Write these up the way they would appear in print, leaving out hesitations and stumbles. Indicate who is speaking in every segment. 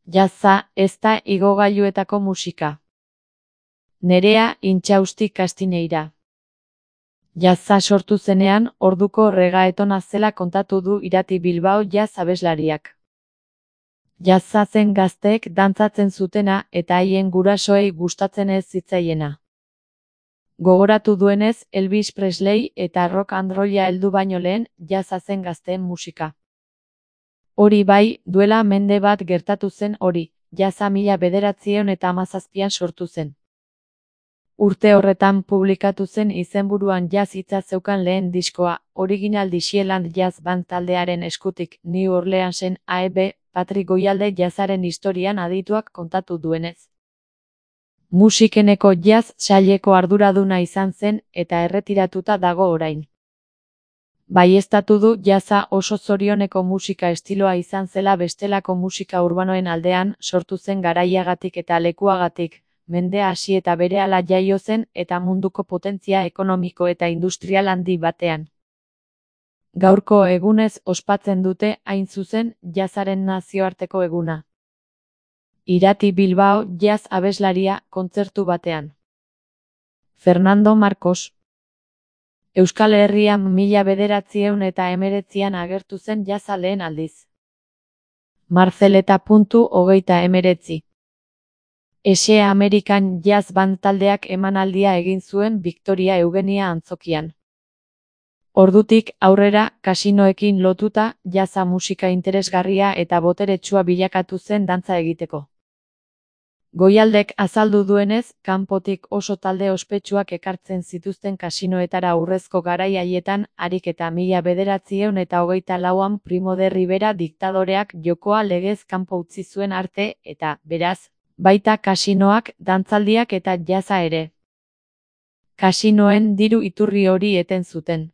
Speaker 1: Jazza ez da igogailuetako musika. Nerea Intxausti Kastineira. Jazza sortu zenean, orduko reggaetona zela kontatu du Irati Bilbao jazz abeslariak. Jazza zen gazteek dantzatzen zutena eta haien gurasoei gustatzen ez zitzaiena. Gogoratu duenez, Elvis Presley eta rock and rolla heldu baino lehen, jazza zen gazteen musika. Hori bai, duela mende bat gertatu zen hori, jazza 1917an sortu zen. Urte horretan publikatu zen izenburuan jazz hitza zeukan lehen diskoa, Original Dixieland Jazz Band taldearen eskutik, New Orleansen A.E.B. Patrick Goyalde jazzaren historian adituak kontatu duenez. Musikeneko jazz saileko arduraduna izan zen eta erretiratuta dago orain. Baieztatu du jazza oso zorioneko musika estiloa izan zela bestelako musika urbanoen aldean sortu zen garaiagatik eta lekuagatik, mende hasi eta berehala jaio zen eta munduko potentzia ekonomiko eta industrial handi batean. Gaurko egunez ospatzen dute hain zuzen jazzaren nazioarteko eguna. Irati Bilbao jazz abeslaria kontzertu batean. Fernando Marcos. Euskal Herrian 1919an agertu zen jazza lehen aldiz. Marceleta.19. Ese American Jazz Band taldeak emanaldia egin zuen Victoria Eugenia antzokian. Ordutik aurrera, kasinoekin lotuta, jazza musika interesgarria eta boteretsua bilakatu zen dantza egiteko. Goialdek azaldu duenez, kanpotik oso talde ospetsuak ekartzen zituzten kasinoetara urrezko garai haietan, harik eta 1924an Primo de Rivera diktadoreak jokoa legez kanpo utzi zuen arte eta, beraz, baita kasinoak, dantzaldiak eta jazza ere. Kasinoen diru iturri hori eten zuten.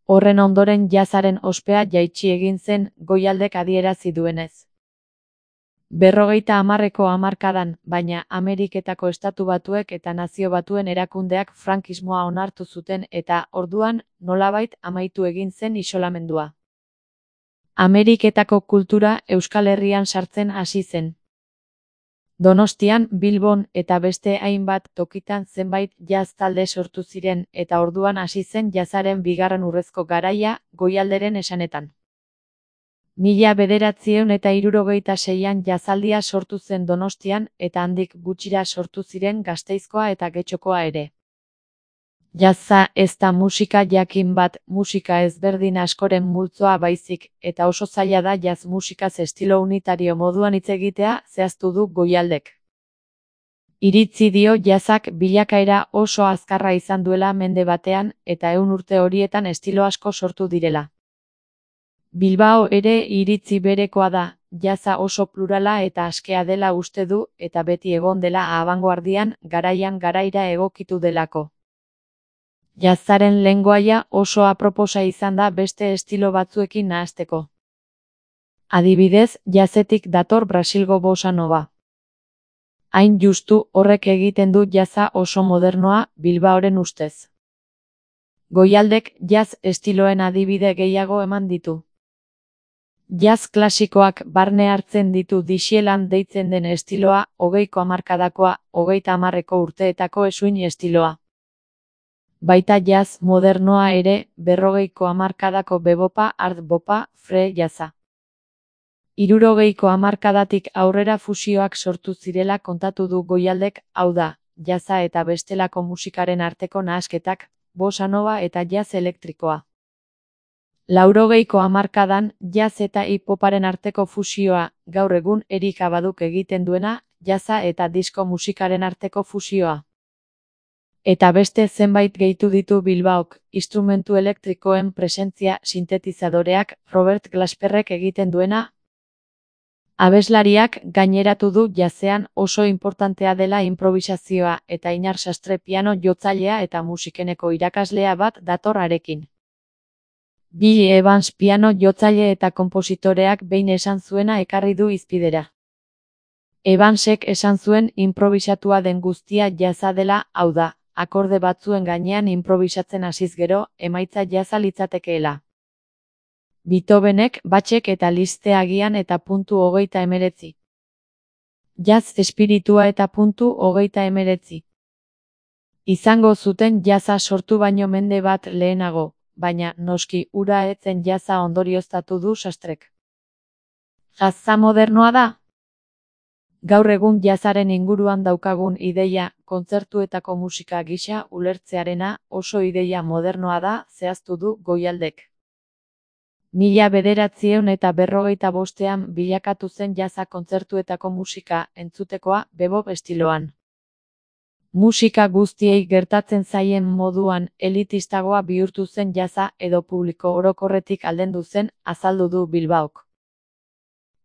Speaker 1: Horren ondoren jazzaren ospea jaitsi egin zen, Goialdek adierazi duenez. 50ko hamarkadan, baina Ameriketako Estatu Batuek eta Nazio Batuen erakundeak frankismoa onartu zuten eta, orduan, nolabait amaitu egin zen isolamendua. Ameriketako kultura Euskal Herrian sartzen hasi zen. Donostian, Bilbon eta beste hainbat tokitan zenbait jazz talde sortu ziren eta orduan hasi zen jazzaren bigarren urrezko garaia, Goialderen esanetan. 1976an jazzaldia sortu zen Donostian eta handik gutxira sortu ziren Gasteizkoa eta Getxokoa ere. Jazza ez da musika jakin bat, musika ezberdin askoren multzoa baizik, eta oso zaila da jazz musikaz estilo unitario moduan hitz egitea, zehaztu du Goialdek. Iritzi dio jazzak bilakaera oso azkarra izan duela mende batean eta 100 urte horietan estilo asko sortu direla. Bilbao ere iritzi berekoa da, jazza oso plurala eta askea dela uste du eta beti egon dela abangoardian, garaian garaira egokitu delako. Jazzaren lengoaia oso aproposa izan da beste estilo batzuekin nahasteko. Adibidez, jazzetik dator Brasilgo bossa nova. Hain justu horrek egiten du jazza oso modernoa, Bilbaoren ustez. Goialdek jazz estiloen adibide gehiago eman ditu. Jazz klasikoak barne hartzen ditu Dixieland deitzen den estiloa, 20ko hamarkadakoa, 30ko urteetako eskuin estiloa. Baita jazz modernoa ere, 40ko hamarkadako bebopa, art bopa, free jazza. 60ko hamarkadatik aurrera fusioak sortu zirela kontatu du Goialdek, hau da, jazza eta bestelako musikaren arteko nahasketak, bossa nova eta jazz elektrikoa. 80ko hamarkadan, jazz eta hip-hoparen arteko fusioa, gaur egun Erika Baduk egiten duena, jazza eta disko musikaren arteko fusioa. Eta beste zenbait gehitu ditu Bilbaok, instrumentu elektrikoen presentzia sintetizadoreak, Robert Glasperrek egiten duena. Abeslariak gaineratu du jazzean oso inportantea dela improvisazioa eta Inar Sastre piano jotzailea eta musikeneko irakaslea bat dator harekin. Billy Evans piano jotzaile eta konpositoreak behin esan zuena ekarri du hizpidera. Evansek esan zuen improbisatua den guztia jazza dela, hau da, akorde batzuen gainean improbisatzen hasiz gero, emaitza jazza litzatekeela. Beethovenek, Bachek eta Liszt agian eta .19. Jazz espiritua eta .19. Izango zuten jazza sortu baino mende bat lehenago, baina noski hura ez zen jazza ondorioztatu du Sastrek. Jazza modernoa da? Gaur egun jazzaren inguruan daukagun ideia, kontzertuetako musika gisa ulertzearena oso ideia modernoa da, zehaztu du Goialdek. 1955ean bilakatu zen jazza kontzertuetako musika entzutekoa bebop estiloan. Musika guztiei gertatzen zaien moduan elitistagoa bihurtu zen jazza edo publiko orokorretik aldendu zen, azaldu du Bilbaok.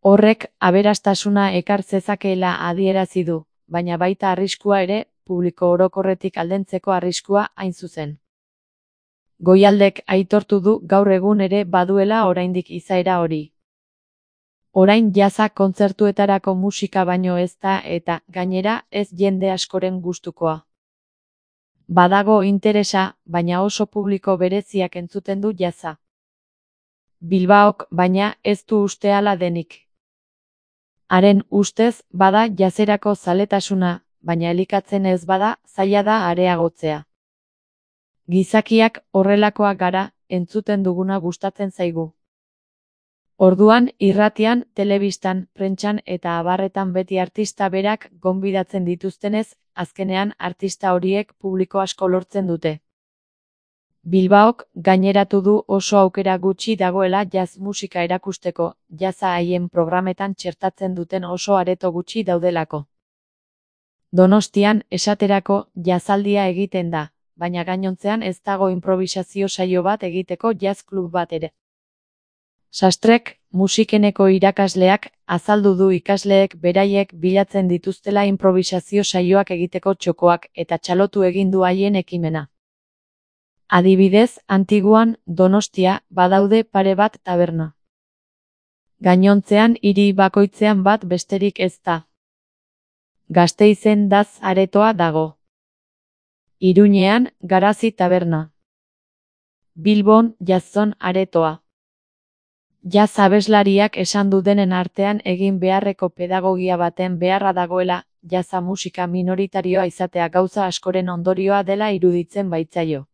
Speaker 1: Horrek aberastasuna ekar zezakeela adierazi du, baina baita arriskua ere, publiko orokorretik aldentzeko arriskua hain zuzen. Goialdek aitortu du gaur egun ere baduela oraindik izaera hori. Orain jazza kontzertuetarako musika baino ez da eta, gainera, ez jende askoren gustukoa. Badago interesa, baina oso publiko bereziak entzuten du jazza. Bilbaok, baina, ez du uste hala denik. Haren ustez, bada jazzerako zaletasuna, baina elikatzen ez bada, zaila da areagotzea. Gizakiak horrelakoak gara, entzuten duguna gustatzen zaigu. Orduan, irratian, telebistan, prentsan eta abarretan beti artista berak gonbidatzen dituztenez, azkenean artista horiek publiko asko lortzen dute. Bilbaok gaineratu du oso aukera gutxi dagoela jazz musika erakusteko, jazza haien programetan txertatzen duten oso areto gutxi daudelako. Donostian, esaterako, jazzaldia egiten da, baina gainontzean ez dago improvisazio saio bat egiteko jazz klub bat ere. Sastrek, musikeneko irakasleak, azaldu du ikasleek beraiek bilatzen dituztela improvisazio saioak egiteko txokoak eta txalotu egin du haien ekimena. Adibidez, Antiguan, Donostia, badaude pare bat taberna. Gainontzean hiri bakoitzean bat besterik ez da. Gasteizen daz aretoa dago. Iruñean, Garazi taberna. Bilbon, Jazzon aretoa. Jazz abeslariak esan du denen artean egin beharreko pedagogia baten beharra dagoela, jazza musika minoritarioa izatea gauza askoren ondorioa dela iruditzen baitzaio.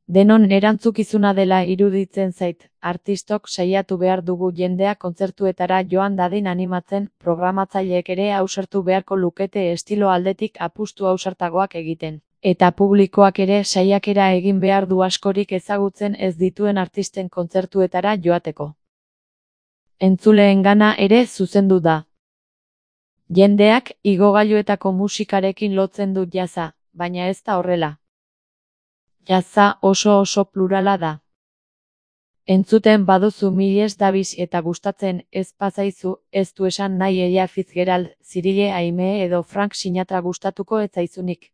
Speaker 1: Denon erantzukizuna dela iruditzen zait, artistok saiatu behar dugu jendea kontzertuetara joan dadin animatzen, programatzaileek ere ausartu beharko lukete estilo aldetik apustu ausartagoak egiten. Eta publikoak ere saiakera egin behar du askorik ezagutzen ez dituen artisten kontzertuetara joateko. Entzuleengana ere zuzendu da. Jendeak igogailuetako musikarekin lotzen du jazza, baina ez da horrela. Jazza oso plurala da. Entzuten baduzu Miles Davis eta gustatzen ez bazaizu, ez du esan nahi Ella Fitzgerald, Cyrille Aimee edo Frank Sinatra gustatuko ez zaizunik.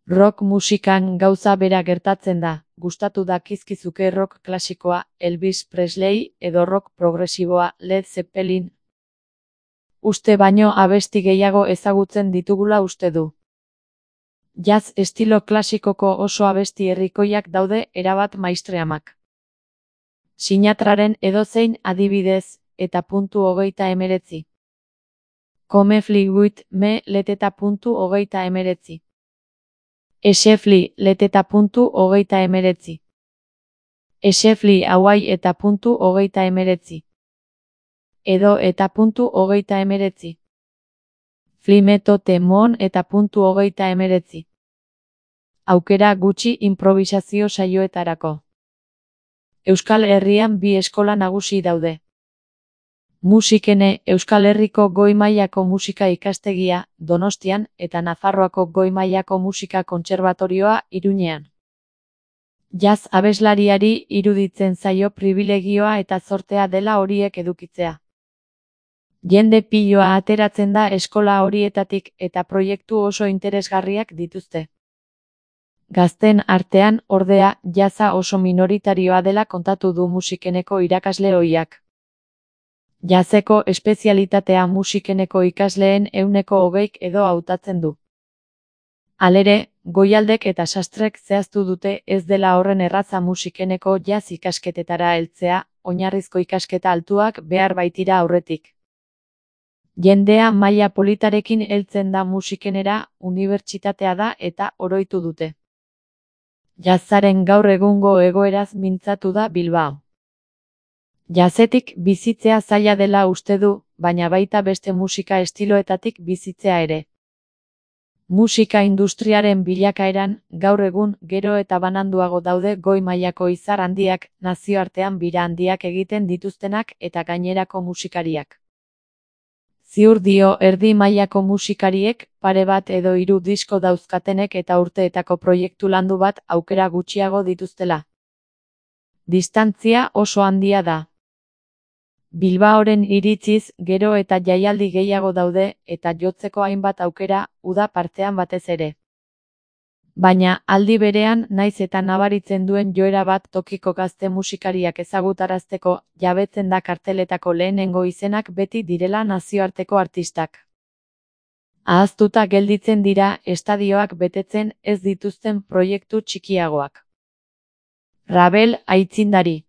Speaker 1: Rock musikan gauza bera gertatzen da, gustatu dakizkizuke rock klasikoa, Elvis Presley, edo rock progresiboa, Led Zeppelin. Uste baino abesti gehiago ezagutzen ditugula uste du. Jazz estilo klasikoko oso abesti herrikoiak daude erabat maistreamak. Sinatraren edozein adibidez, eta .19. Come Fly With Me leteta .19. Esefli leteta .19. Esefli Hawaii eta .19. Edo eta .19. Flimeto Temon eta .19. Aukera gutxi improvisazio saioetarako. Euskal Herrian bi eskola nagusi daude. Musikene Euskal Herriko goi mailako musika ikastegia, Donostian, eta Nafarroako goi mailako musika kontserbatorioa, Iruñean. Jazz abeslariari iruditzen zaio pribilegioa eta zortea dela horiek edukitzea. Jende piloa ateratzen da eskola horietatik eta proiektu oso interesgarriak dituzte. Gazten artean, ordea, jazza oso minoritarioa dela kontatu du musikeneko irakasle ohiak. Jazzeko espezialitatea musikeneko ikasleen 20% edo hautatzen du. Halere, Goialdek eta Sastrek zehaztu dute ez dela horren erraza musikeneko jazz ikasketetara heltzea, oinarrizko ikasketa altuak behar baitira aurretik. Jendea maila politarekin heltzen da musikenera, unibertsitatea da eta oroitu dute. Jazzaren gaur egungo egoeraz mintzatu da Bilbao. Jazzetik bizitzea zaila dela uste du, baina baita beste musika estiloetatik bizitzea ere. Musika industriaren bilakaeran, gaur egun, gero eta bananduago daude goi mailako izar handiak, nazioartean bira handiak egiten dituztenak eta gainerako musikariak. Ziur dio erdi mailako musikariek, pare bat edo 3 disko dauzkatenek eta urteetako proiektu landu bat aukera gutxiago dituztela. Distantzia oso handia da. Bilbaoren iritziz, gero eta jaialdi gehiago daude eta jotzeko hainbat aukera, uda partean batez ere. Baina, aldi berean, naiz eta nabaritzen duen joera bat tokiko gazte musikariak ezagutarazteko, jabetzen da karteletako lehenengo izenak beti direla nazioarteko artistak. Ahaztuta gelditzen dira estadioak betetzen ez dituzten proiektu txikiagoak. Ravel aitzindari.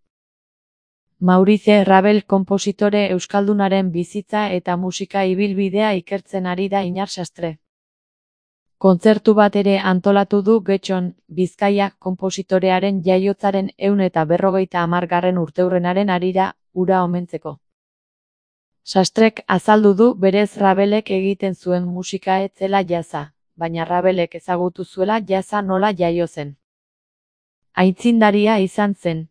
Speaker 1: Maurice Ravel konpositore euskaldunaren bizitza eta musika ibilbidea ikertzen ari da Iñar Sastre. Kontzertu bat ere antolatu du Getxon, Bizkaia, konpositorearen jaiotzaren 150. urteurrenaren harira, hura omentzeko. Sastrek azaldu du berez Ravelek egiten zuen musika ez zela jazza, baina Ravelek ezagutu zuela jazza nola jaio zen. Aitzindaria izan zen.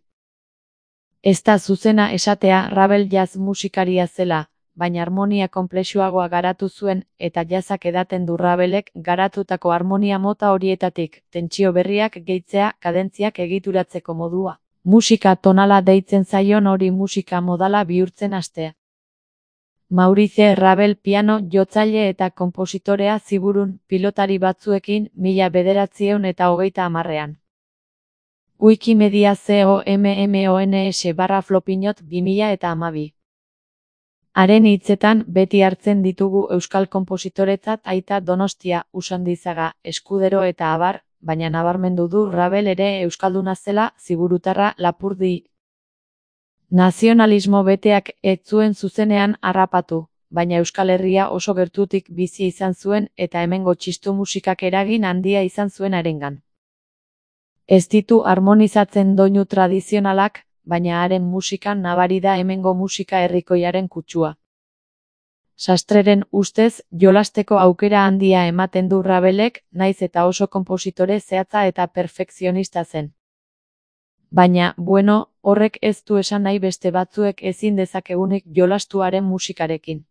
Speaker 1: Ez da zuzena esatea Ravel jazz musikaria zela, baina harmonia konplexuagoa garatu zuen eta jazzak edaten du Ravelek garatutako harmonia mota horietatik, tentsio berriak gehitzea, kadentziak egituratzeko modua. Musika tonala deitzen zaion hori musika modala bihurtzen hastea. Maurice Ravel piano jotzaile eta konpositorea Ziburun pilotari batzuekin 1930ean. Wikimedia COMMONS/Flopinot 2012. Haren hitzetan beti hartzen ditugu euskal konpositoretzat Aita Donostia, Usandizaga, Eskudero eta abar, baina nabarmendu du Ravel ere euskalduna zela, Ziburutarra Lapurdi. Nazionalismo beteak ez zuen zuzenean harrapatu, baina Euskal Herria oso gertutik bizi izan zuen eta hemengo txistu musikak eragin handia izan zuen harengan. Ez ditu harmonizatzen doinu tradizionalak, baina haren musikan nabari da hemengo musika herrikoiaren kutsua. Sastreren ustez, jolasteko aukera handia ematen du Ravelek, naiz eta oso konpositore zehatza eta perfekzionista zen. Baina, bueno, horrek ez du esan nahi beste batzuek ezin dezakegunik jolastu haren musikarekin.